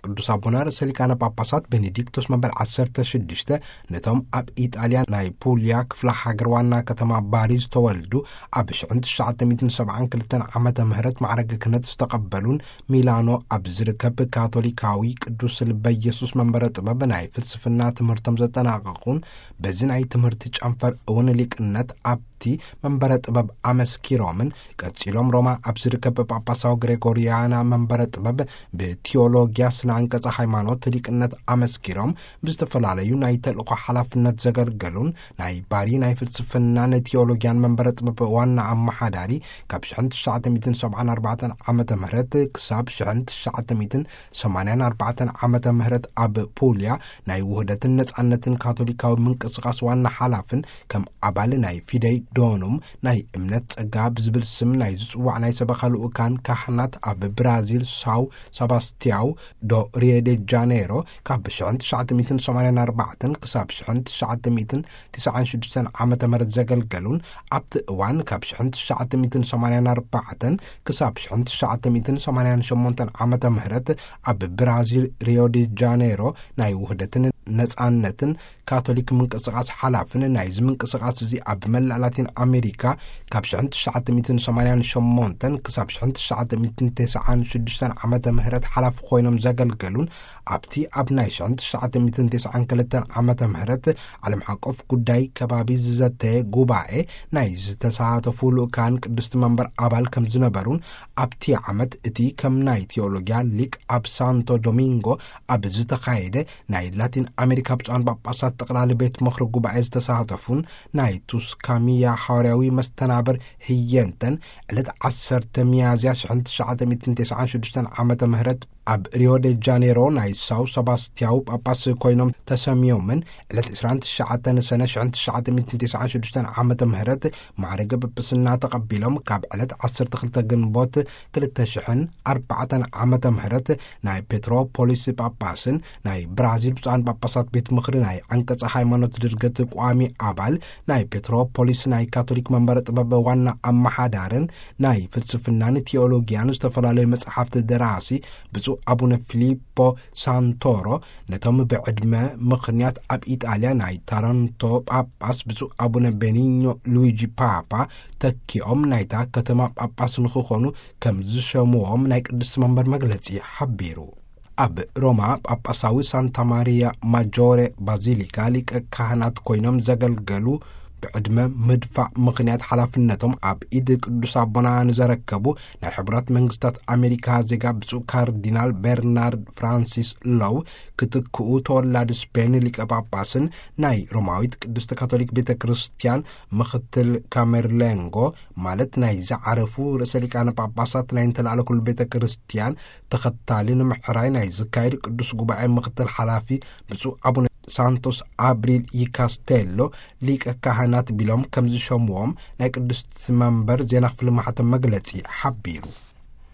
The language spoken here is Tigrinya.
ቅዱስ ኣቦና ርእሰ ሊቃነ ጳጳሳት ቤኔዲክቶስ መበል ዓሰርተ ሽዱሽተ ነቶም ኣብ ኢጣልያ ናይ ፑልያ ክፍለ ሃገር ዋና ከተማ ባሪ ዝተወልዱ፣ ኣብ ሽሕን ትሽዓተ ሚእትን ሰብዓን ክልተን ዓመተ ምህረት ማዕረገ ክህነት ዝተቐበሉን፣ ሚላኖ ኣብ ዝርከብ ካቶሊካዊ ቅዱስ ልበ ኢየሱስ መንበረ ጥበብ ናይ ፍልስፍና ትምህርቶም ዘጠናቐቑን፣ በዚ ናይ ትምህርቲ ጨንፈር እውን ሊቅነት ኣብቲ መንበረ ጥበብ ኣመስኪሮምን፣ ቀጺሎም ሮማ ኣብ ዝርከብ ጳጳሳዊ ግሬጎሪያና መንበረ ጥበብ ብቲዮሎጊያ ስነ ኣንቀጸ ሃይማኖት ሊቅነት ኣመስኪሮም፣ ብዝተፈላለዩ ናይ ተልእኾ ሓላፍነት ዘገልገሉን፣ ናይ ባሪ ናይ ፍልስፍናን ቲዮሎጊያን መንበረ ጥበብ ዋና ኣመሓዳሪ፣ ካብ ሽሕን ትሽዓተ ሚእትን ሰብዓን ኣርባዕተን ዓመተ ምህረት ክሳብ ሽሕን ትሽዓተ ሚእትን ሰማንያን ኣርባዕተን ዓመተ ምህረት ኣብ ፑልያ ናይ ውህደትን ነጻነትን ካቶሊካዊ ምንቅስቓስ ዋና ሓላፍን፣ ከም ኣባል ናይ ፊደይ ዶኑም ናይ እምነት ጸጋ ብዝብል ስም ናይ ዝጽዋዕ ናይ ሰበኻ ልኡካን ካህናት ኣብ ብራዚል ሳው ሰባስቲያው ዶ ሪዮ ዴ ጃኔሮ፣ ካብ ሽሕን ትሽዓተ ሚእትን ሰማንያን ኣርባዕተን ክሳብ ሽሕን ትሽዓተ ሚእትን ትስዓን ሽዱሽተን ዓመተ ምህረት ዘገልገሉን፣ ኣብቲ እዋን ካብ ሽሕን ትሽዓተ ሚእትን ሰማንያን ኣርባዕተን ክሳብ ሽሕን ትሽዓተ ሚእትን ሰማንያን ሸሞንተን ዓመተ ምህረት ኣብ ብራዚል ሪዮ ዲ ጃኔሮ ናይ ውህደትን ነጻነትን ካቶሊክ ምንቅስቓስ ሓላፍን፣ ናይዚ ምንቅስቓስ እዚ ኣብ መላእ ላቲን ኣሜሪካ ካብ ሽሕን ትሽዓተ ሚእትን ሰማንያን ሸሞንተን ክሳብ ሽሕን ትሽዓተ ሚእትን ተስዓን ሽዱሽተን ዓመተ ምህረት ሓላፊ ኮይኖም ዘገልገሉን፣ ኣብቲ ኣብ ናይ ሽሕን ትሽዓተ ሚእትን ተስዓን ክልተን ዓመተ ምህረት ዓለም ሓቆፍ ጉዳይ ከባቢ ዝዘተየ ጉባኤ ናይ ዝተሳተፉ ልኡካን ቅድስቲ መንበር ኣባል ከም ዝነበሩን፣ ኣብቲ ዓመት እቲ ከም ናይ ቲዮሎጊያ ሊቅ ኣብ ሳንቶ ዶሚንጎ ኣብ ዝተኻየደ ናይ ላቲን ኣሜሪካ ብፁዓን ጳጳሳት ጠቕላሊ ቤት ምኽሪ ጉባኤ ዝተሳተፉን፣ ናይ ቱስካሚያ ሓዋርያዊ መስተናብር ህየንተን፣ ዕለት ዓሰርተ ሚያዝያ ሽሕን ትሽዓተ ሚእትን ተስዓን ሽዱሽተን ዓመተ ምህረት ኣብ ሪዮ ደ ጃኔሮ ናይ ሳው ሰባስቲያው ጳጳስ ኮይኖም ተሰምዮምን፣ ዕለት ዕስራን ትሽዓተን ሰነ ሽሕን ትሽዓተ ሚእትን ተስዓን ሽዱሽተን ዓመተ ምህረት ማዕረገ ጵጵስና ተቐቢሎም፣ ካብ ዕለት ዓሰርተ ክልተ ግንቦት ክልተ ሽሕን ኣርባዕተን ዓመተ ምህረት ናይ ፔትሮፖሊስ ጳጳስን ናይ ብራዚል ብፁዓን ጳጳሳት ቤት ምኽሪ ናይ ዓንቀጸ ሃይማኖት ድርገት ቋሚ ኣባል፣ ናይ ፔትሮፖሊስ ናይ ካቶሊክ መንበረ ጥበብ ዋና ኣመሓዳርን ናይ ፍልስፍናን ቲዮሎጊያን ዝተፈላለዩ መጽሓፍቲ ደራሲ ብፁዕ ኣቡነ ፊሊፖ ሳንቶሮ፣ ነቶም ብዕድመ ምኽንያት ኣብ ኢጣልያ ናይ ታረንቶ ጳጳስ ብፁዕ ኣቡነ ቤኒኞ ሉዊጂ ፓፓ ተኪኦም ናይታ ከተማ ጳጳስ ንኽኾኑ ከም ዝሸምዎም ናይ ቅድስቲ መንበር መግለጺ ሓቢሩ። ኣብ ሮማ ጳጳሳዊ ሳንታ ማሪያ ማጆሬ ባዚሊካ ሊቀ ካህናት ኮይኖም ዘገልገሉ፣ ብዕድመ ምድፋእ ምኽንያት ሓላፍነቶም ኣብ ኢድ ቅዱስ ኣቦና ንዘረከቡ ናይ ሕቡራት መንግስታት ኣሜሪካ ዜጋ ብፁዕ ካርዲናል ቤርናርድ ፍራንሲስ ሎው ክትክኡ፣ ተወላዲ ስፔን ሊቀ ጳጳስን ናይ ሮማዊት ቅድስቲ ካቶሊክ ቤተ ክርስቲያን ምኽትል ካሜርሌንጎ፣ ማለት ናይ ዝዓረፉ ርእሰ ሊቃነ ጳጳሳት ናይ እንተላዕለ ኩሉ ቤተ ክርስቲያን ተኸታሊ ንምሕራይ ናይ ዝካየድ ቅዱስ ጉባኤ ምኽትል ሓላፊ ብፁዕ ኣቡነ ሳንቶስ ኣብሪል ይካስቴሎ ሊቀ ካህናት ቢሎም ከም ዝሸምዎም ናይ ቅድስቲ መንበር ዜና ክፍሊ ማሕተም መግለጺ ሓቢሩ።